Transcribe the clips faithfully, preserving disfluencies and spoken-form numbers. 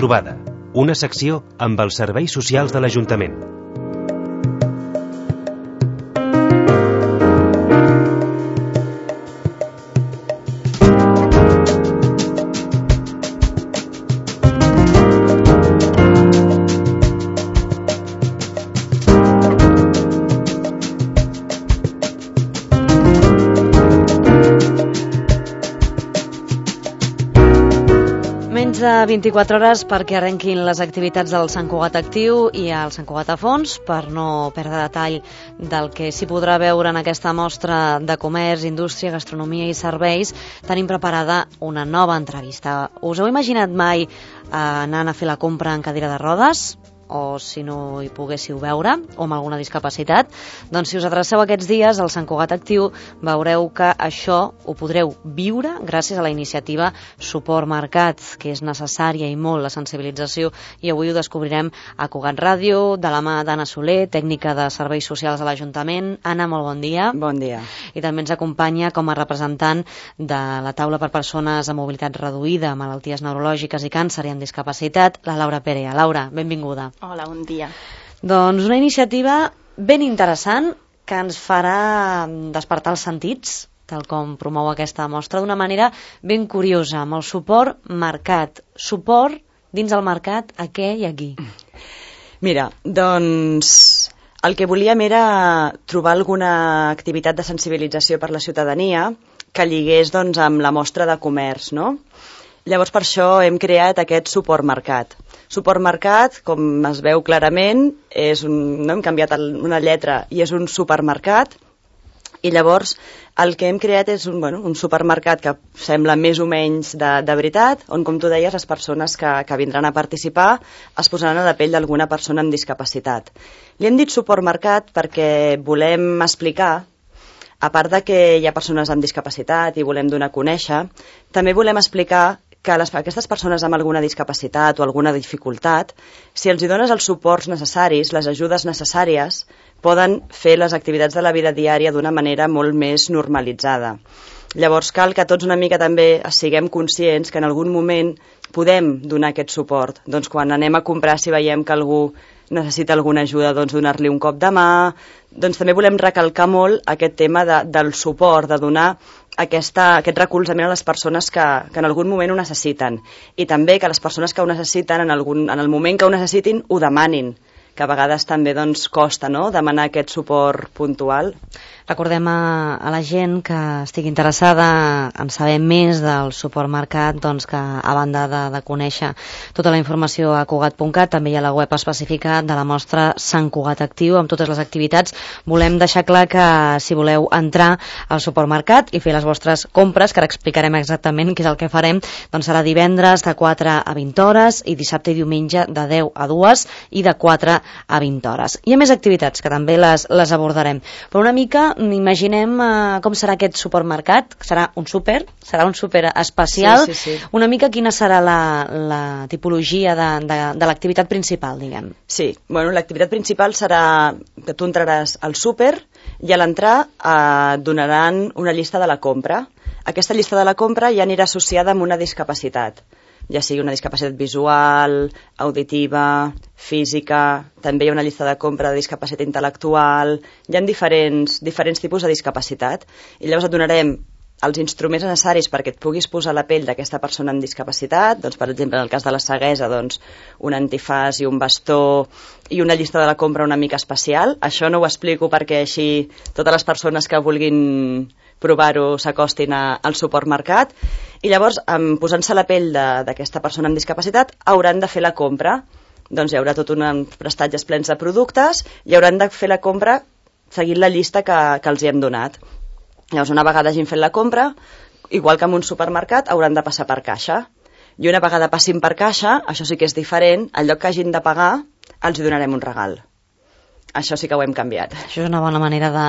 trobada, una secció amb els serveis socials de l'Ajuntament. Menys de vint-i-quatre hores perquè arrenquin les activitats del Sant Cugat Actiu i el Sant Cugat a Fons. Per no perdre detall del que s'hi podrà veure en aquesta mostra de comerç, indústria, gastronomia i serveis, tenim preparada una nova entrevista. Us heu imaginat mai anant a fer la compra en cadira de rodes? O si no hi poguéssiu veure, o amb alguna discapacitat, doncs si us adreceu aquests dies al Sant Cugat Actiu veureu que això ho podreu viure gràcies a la iniciativa Suport Mercat, que és necessària i molt la sensibilització, i avui ho descobrirem a Cugat Ràdio, de la mà d'Anna Soler, tècnica de serveis socials de l'Ajuntament. Anna, molt bon dia. Bon dia. I també ens acompanya com a representant de la taula per persones amb mobilitat reduïda, malalties neurològiques i càncer i amb discapacitat, la Laura Perea. Laura, benvinguda. Hola, bon dia. Doncs una iniciativa ben interessant que ens farà despertar els sentits, tal com promou aquesta mostra, d'una manera ben curiosa, amb el suport mercat. Suport dins el mercat a què i a qui? Mira, doncs el que volíem era trobar alguna activitat de sensibilització per la ciutadania que lligués doncs, amb la mostra de comerç, no? Llavors per això hem creat aquest suport mercat. Suport mercat, com es veu clarament, és un, no hem canviat una lletra i és un supermercat, i llavors el que hem creat és un, bueno, un supermercat que sembla més o menys de, de veritat, on, com tu deies, les persones que, que vindran a participar es posaran a la pell d'alguna persona amb discapacitat. Li hem dit suport mercat perquè volem explicar, a part de que hi ha persones amb discapacitat i volem donar a conèixer, també volem explicar que les, aquestes persones amb alguna discapacitat o alguna dificultat, si els hi dones els suports necessaris, les ajudes necessàries, poden fer les activitats de la vida diària d'una manera molt més normalitzada. Llavors cal que tots una mica també siguem conscients que en algun moment podem donar aquest suport. Doncs quan anem a comprar, si veiem que algú necessita alguna ajuda, doncs donar-li un cop de mà. Doncs també volem recalcar molt aquest tema de, del suport, de donar aquesta, aquest recolzament a les persones que, que en algun moment ho necessiten. I també que les persones que ho necessiten, en, algun, en el moment que ho necessitin, ho demanin, que a vegades també doncs, costa, no?, demanar aquest suport puntual. Recordem a, a la gent que estigui interessada en saber més del suport mercat, doncs que a banda de, de conèixer tota la informació a cugat punt cat, també hi ha la web específica de la mostra Sant Cugat Actiu amb totes les activitats. Volem deixar clar que si voleu entrar al suport mercat i fer les vostres compres, que ara explicarem exactament què és el que farem, doncs serà divendres de quatre a vint hores i dissabte i diumenge de deu a dues i de quatre a vint hores. Hi ha més activitats que també les, les abordarem, però una mica imaginem uh, com serà aquest supermercat. Serà un súper, serà un súper especial. Sí, sí, sí. Una mica quina serà la, la tipologia de, de, de l'activitat principal, diguem. Sí, bueno, l'activitat principal serà que tu entraràs al súper i a l'entrar eh, donaran una llista de la compra. Aquesta llista de la compra ja anirà associada amb una discapacitat, ja sigui una discapacitat visual, auditiva, física, també hi ha una llista de compra de discapacitat intel·lectual, hi ha diferents, diferents tipus de discapacitat, i llavors et donarem els instruments necessaris perquè et puguis posar a la pell d'aquesta persona amb discapacitat, doncs, per exemple, en el cas de la ceguesa, doncs, un antifàs i un bastó i una llista de la compra una mica especial. Això no ho explico perquè així totes les persones que vulguin provar-ho s'acostin al suport mercat, i llavors, posant-se a la pell d'aquesta persona amb discapacitat, hauran de fer la compra. Doncs hi haurà tot uns prestatges plens de productes i hauran de fer la compra seguint la llista que, que els hi hem donat. Llavors, una vegada hagin fet la compra, igual que en un supermercat, hauran de passar per caixa. I una vegada passin per caixa, això sí que és diferent, al lloc que hagin de pagar, els hi donarem un regal. Això sí que ho hem canviat. Això és una bona manera de,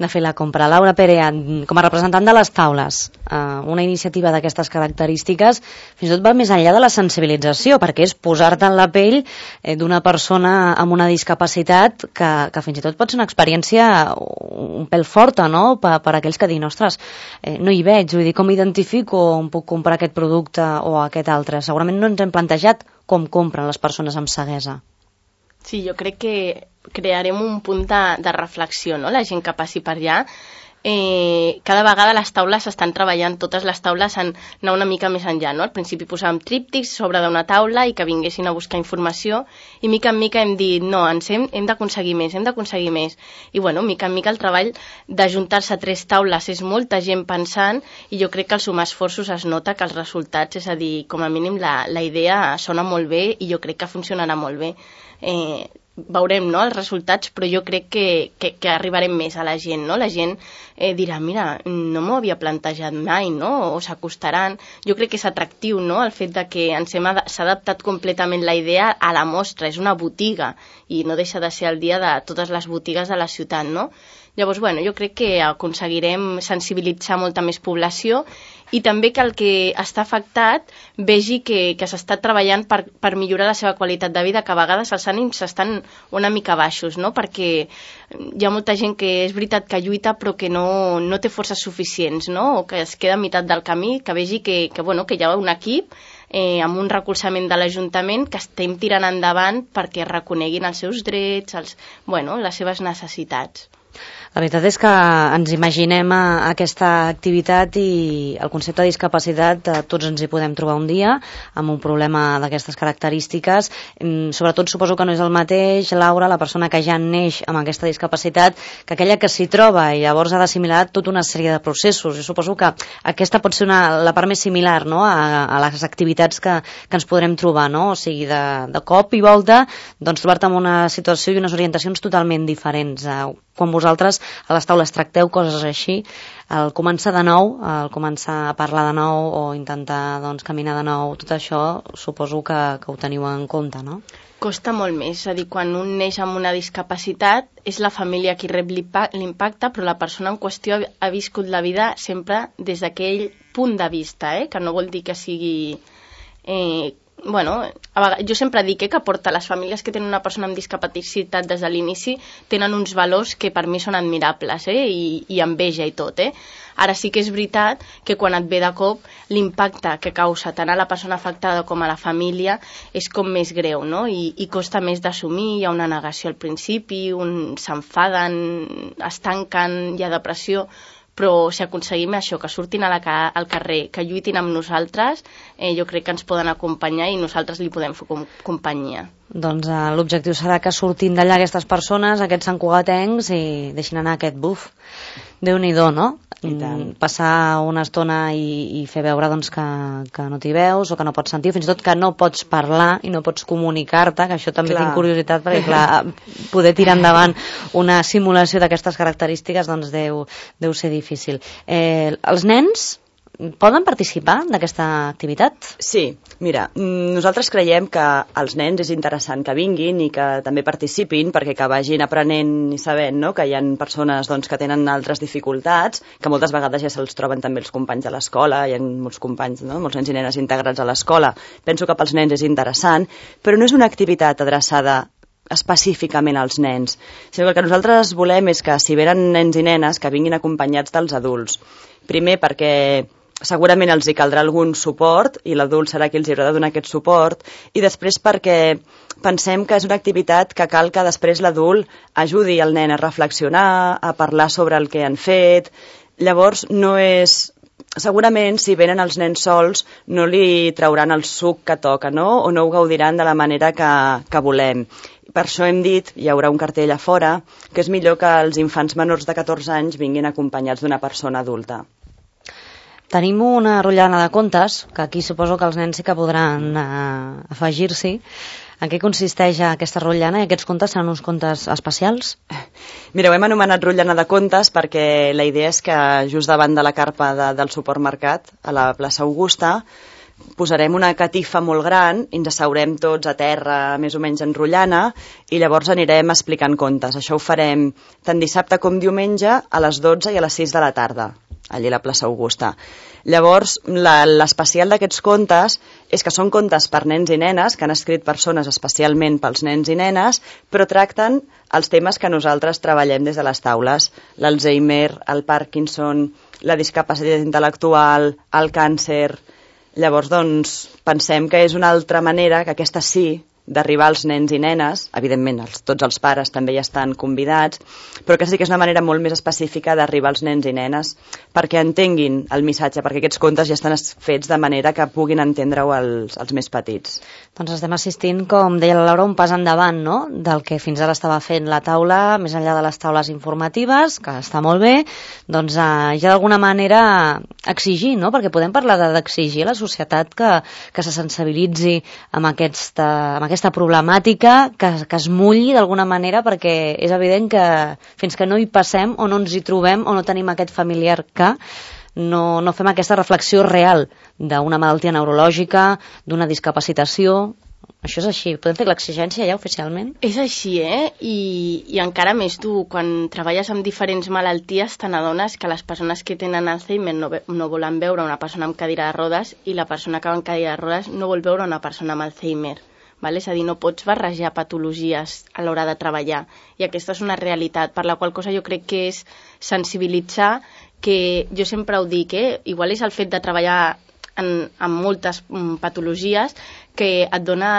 de fer la compra. Laura Perea, com a representant de les taules, eh, una iniciativa d'aquestes característiques fins i tot va més enllà de la sensibilització, perquè és posar-te en la pell eh, d'una persona amb una discapacitat que, que fins i tot pot ser una experiència un pèl forta, no?, per, per aquells que diuen, ostres, eh, no hi veig, vull dir, com identifico on puc comprar aquest producte o aquest altre? Segurament no ens hem plantejat com compren les persones amb ceguesa. Sí, jo crec que crearem un punt de, de reflexió, no? La gent que passi per allà. Eh, cada vegada les taules s'estan treballant, totes les taules han anar una mica més enllà, no? Al principi posàvem tríptics sobre d'una taula i que vinguessin a buscar informació, i mica en mica hem dit, no, ens hem, hem d'aconseguir més, hem d'aconseguir més. I bueno, mica en mica el treball d'ajuntar-se a tres taules és molta gent pensant, i jo crec que al sumar esforços es nota que els resultats, és a dir, com a mínim la, la idea sona molt bé i jo crec que funcionarà molt bé. Eh, veurem, no?, els resultats, però jo crec que, que, que arribarem més a la gent, no? La gent eh, dirà, mira, no m'ho havia plantejat mai, no?, o s'acostaran. Jo crec que és atractiu, no?, el fet de que ens hem ad- s'ha adaptat completament la idea a la mostra, és una botiga, i no deixa de ser el dia de totes les botigues de la ciutat, no? Llavors, bueno, jo crec que aconseguirem sensibilitzar molta més població i també que el que està afectat vegi que, que s'està treballant per, per millorar la seva qualitat de vida, que a vegades els ànims estan una mica baixos, no? Perquè hi ha molta gent que és veritat que lluita però que no, no té forces suficients, no? O que es queda a meitat del camí, que vegi que, que, bueno, que hi ha un equip eh, amb un recolzament de l'Ajuntament que estem tirant endavant perquè reconeguin els seus drets, els, bueno, les seves necessitats. La veritat és que ens imaginem a aquesta activitat i el concepte de discapacitat eh, tots ens hi podem trobar un dia amb un problema d'aquestes característiques. Mm, sobretot suposo que no és el mateix, Laura, la persona que ja neix amb aquesta discapacitat, que aquella que s'hi troba i llavors ha d'assimilar tota una sèrie de processos. Jo suposo que aquesta pot ser una, la part més similar, no?, a, a les activitats que, que ens podrem trobar, no? O sigui, de, de cop i volta doncs, trobar-te en una situació i unes orientacions totalment diferents. Eh, quan vosaltres a les taules tracteu coses així, el començar de nou, el començar a parlar de nou o intentar doncs, caminar de nou, tot això suposo que, que ho teniu en compte, no? Costa molt més, és a dir, quan un neix amb una discapacitat és la família qui rep l'impacte, però la persona en qüestió ha viscut la vida sempre des d'aquell punt de vista, eh? Que no vol dir que sigui... Eh, bueno, a vegades, jo sempre dic eh, que porta les famílies que tenen una persona amb discapacitat des de l'inici tenen uns valors que per mi són admirables eh, i, i enveja i tot. Eh. Ara sí que és veritat que quan et ve de cop l'impacte que causa tant a la persona afectada com a la família és com més greu, no? I, i costa més d'assumir, hi ha una negació al principi, un s'enfaden, es tanquen, hi ha depressió, però si aconseguim això, que surtin a la, al carrer, que lluitin amb nosaltres, eh, jo crec que ens poden acompanyar i nosaltres li podem fer com, companyia. Doncs eh, l'objectiu serà que surtin d'allà aquestes persones, aquests santcugatencs, i deixin anar aquest buf. Déu-n'hi-do, no? Passar una estona i, i fer veure doncs, que, que no t'hi veus o que no pots sentir, fins i tot que no pots parlar i no pots comunicar-te, que això també clar. Tinc curiositat, perquè clar, poder tirar endavant una simulació d'aquestes característiques doncs deu, deu ser difícil. Eh, els nens poden participar d'aquesta activitat? Sí, mira, nosaltres creiem que als nens és interessant que vinguin i que també participin perquè que vagin aprenent i sabent no? Que hi ha persones doncs, que tenen altres dificultats, que moltes vegades ja se'ls troben també els companys de l'escola, hi ha molts companys, no? Molts nens i nenes integrats a l'escola. Penso que pels nens és interessant, però no és una activitat adreçada específicament als nens, sinó que el que nosaltres volem és que si venen nens i nenes que vinguin acompanyats dels adults. Primer perquè segurament els hi caldrà algun suport i l'adult serà qui els haurà de donar aquest suport, i després perquè pensem que és una activitat que cal que després l'adult ajudi el nen a reflexionar, a parlar sobre el que han fet. Llavors no és... Segurament si venen els nens sols no li trauran el suc que toca, no? O no ho gaudiran de la manera que, que volem. Per això hem dit, hi haurà un cartell a fora, que és millor que els infants menors de catorze anys vinguin acompanyats d'una persona adulta. Tenim una rotllana de contes, que aquí suposo que els nens sí que podran eh, afegir-s'hi. En què consisteix aquesta rotllana i aquests contes seran uns contes especials? Mira, ho hem anomenat rotllana de contes perquè la idea és que just davant de la carpa de, del supermercat, a la plaça Augusta, posarem una catifa molt gran i ens asseurem tots a terra, més o menys en rotllana, i llavors anirem explicant contes. Això ho farem tant dissabte com diumenge a les dotze i a les sis de la tarda, allà a la plaça Augusta. Llavors, l'especial d'aquests contes és que són contes per nens i nenes, que han escrit persones especialment pels nens i nenes, però tracten els temes que nosaltres treballem des de les taules: l'Alzheimer, el Parkinson, la discapacitat intel·lectual, el càncer. Llavors, doncs, pensem que és una altra manera, que aquesta sí, d'arribar als nens i nenes, evidentment els, tots els pares també hi estan convidats, però aquesta sí que és una manera molt més específica d'arribar als nens i nenes perquè entenguin el missatge, perquè aquests contes ja estan fets de manera que puguin entendre-ho els, els més petits. Doncs estem assistint, com deia la Laura, un pas endavant, no?, del que fins ara estava fent la taula, més enllà de les taules informatives, que està molt bé, doncs eh, ja d'alguna manera exigir, no?, perquè podem parlar d'exigir a la societat que, que se sensibilitzi amb aquesta, amb aquesta aquesta problemàtica, que, que es mulli d'alguna manera, perquè és evident que fins que no hi passem o no ens hi trobem o no tenim aquest familiar que no, no fem aquesta reflexió real d'una malaltia neurològica, d'una discapacitació. Això és així. Podem fer l'exigència ja oficialment? És així, eh? I, i encara més tu, quan treballes amb diferents malalties, te n'adones que les persones que tenen Alzheimer no, no volen veure una persona amb cadira de rodes i la persona que va amb cadira de rodes no vol veure una persona amb Alzheimer. Val? És a dir, no pots barrejar patologies a l'hora de treballar. I aquesta és una realitat, per la qual cosa jo crec que és sensibilitzar, que jo sempre ho dic, eh? Igual és el fet de treballar en, en moltes patologies que et dona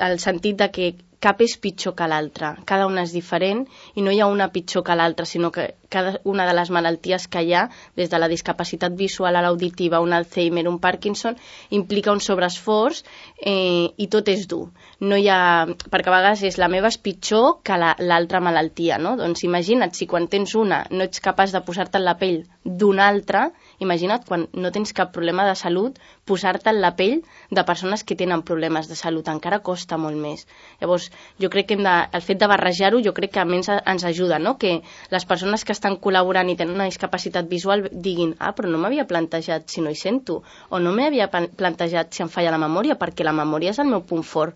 el sentit de que cap és pitjor que l'altra, cada una és diferent i no hi ha una pitjor que l'altra, sinó que cada una de les malalties que hi ha, des de la discapacitat visual a l'auditiva, un Alzheimer, un Parkinson, implica un sobreesforç eh, i tot és dur. No hi ha, perquè a vegades és la meva és pitjor que l'altra la, malaltia, no? Doncs imagina't, si quan tens una no ets capaç de posar-te en la pell d'una altra, imagina't quan no tens cap problema de salut, posar-te en la pell de persones que tenen problemes de salut, encara costa molt més. Llavors, jo crec que hem de, el fet de barrejar-ho jo crec que a més ens ajuda, no? Que les persones que estan col·laborant i tenen una discapacitat visual diguin, ah, però no m'havia plantejat si no hi sento, o no m'havia plantejat si em falla la memòria, perquè la memòria és el meu punt fort,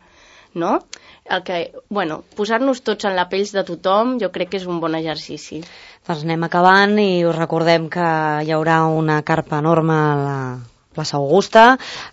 no? El que, bueno, posar-nos tots en la pell de tothom jo crec que és un bon exercici. Doncs anem acabant i us recordem que hi haurà una carpa enorme a la plaça Augusta,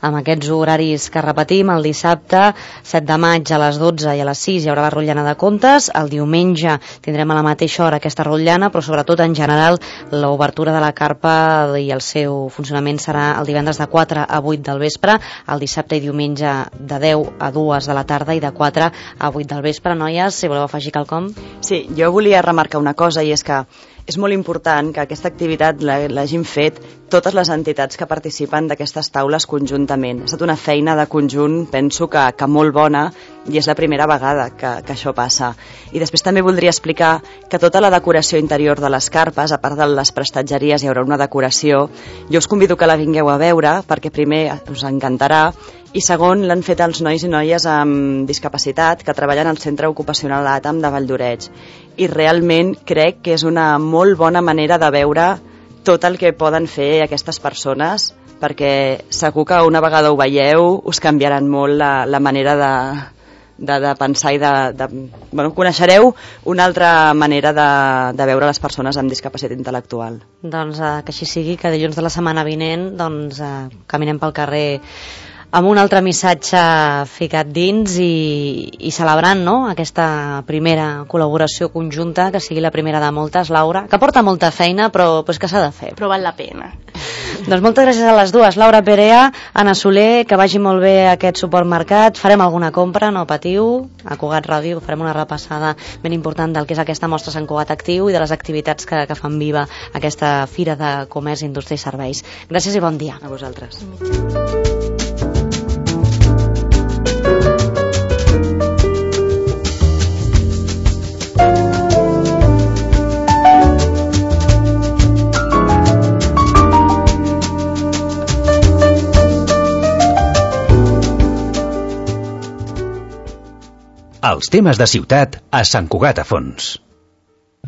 amb aquests horaris que repetim, el dissabte set de maig a les dotze i a les sis hi haurà la rotllana de contes, el diumenge tindrem a la mateixa hora aquesta rotllana, però sobretot en general l'obertura de la carpa i el seu funcionament serà el divendres de quatre a vuit del vespre, el dissabte i diumenge de deu a dues de la tarda i de quatre a vuit del vespre. Noies, si voleu afegir quelcom? Sí, jo volia remarcar una cosa, i és que és molt important que aquesta activitat l'hagin fet totes les entitats que participen d'aquestes taules conjuntament. Ha estat una feina de conjunt, penso que, que molt bona, i és la primera vegada que, que això passa. I després també voldria explicar que tota la decoració interior de les carpes, a part de les prestatgeries, hi haurà una decoració. Jo us convido que la vingueu a veure, perquè primer us encantarà, i segon, l'han fet els nois i noies amb discapacitat que treballen al Centre Ocupacional A T A M de Valldoreix. I realment crec que és una molt bona manera de veure tot el que poden fer aquestes persones, perquè segur que una vegada ho veieu us canviaran molt la, la manera de, de, de pensar i de, de... Bueno, coneixereu una altra manera de, de veure les persones amb discapacitat intel·lectual. Doncs eh, que així sigui, que dilluns de la setmana vinent doncs, eh, caminem pel carrer amb un altre missatge ficat dins i, i celebrant, no?, aquesta primera col·laboració conjunta, que sigui la primera de moltes, Laura, que porta molta feina, però pues, que s'ha de fer. Però val la pena. Doncs moltes gràcies a les dues, Laura Perea, Anna Soler, que vagi molt bé aquest supermercat. Farem alguna compra, no patiu. A Cugat Ràdio farem una repassada ben important del que és aquesta mostra Sant Cugat Actiu i de les activitats que, que fan viva aquesta Fira de Comerç, Indústria i Serveis. Gràcies i bon dia. A vosaltres. Els temes de ciutat a Sant Cugat a Fons.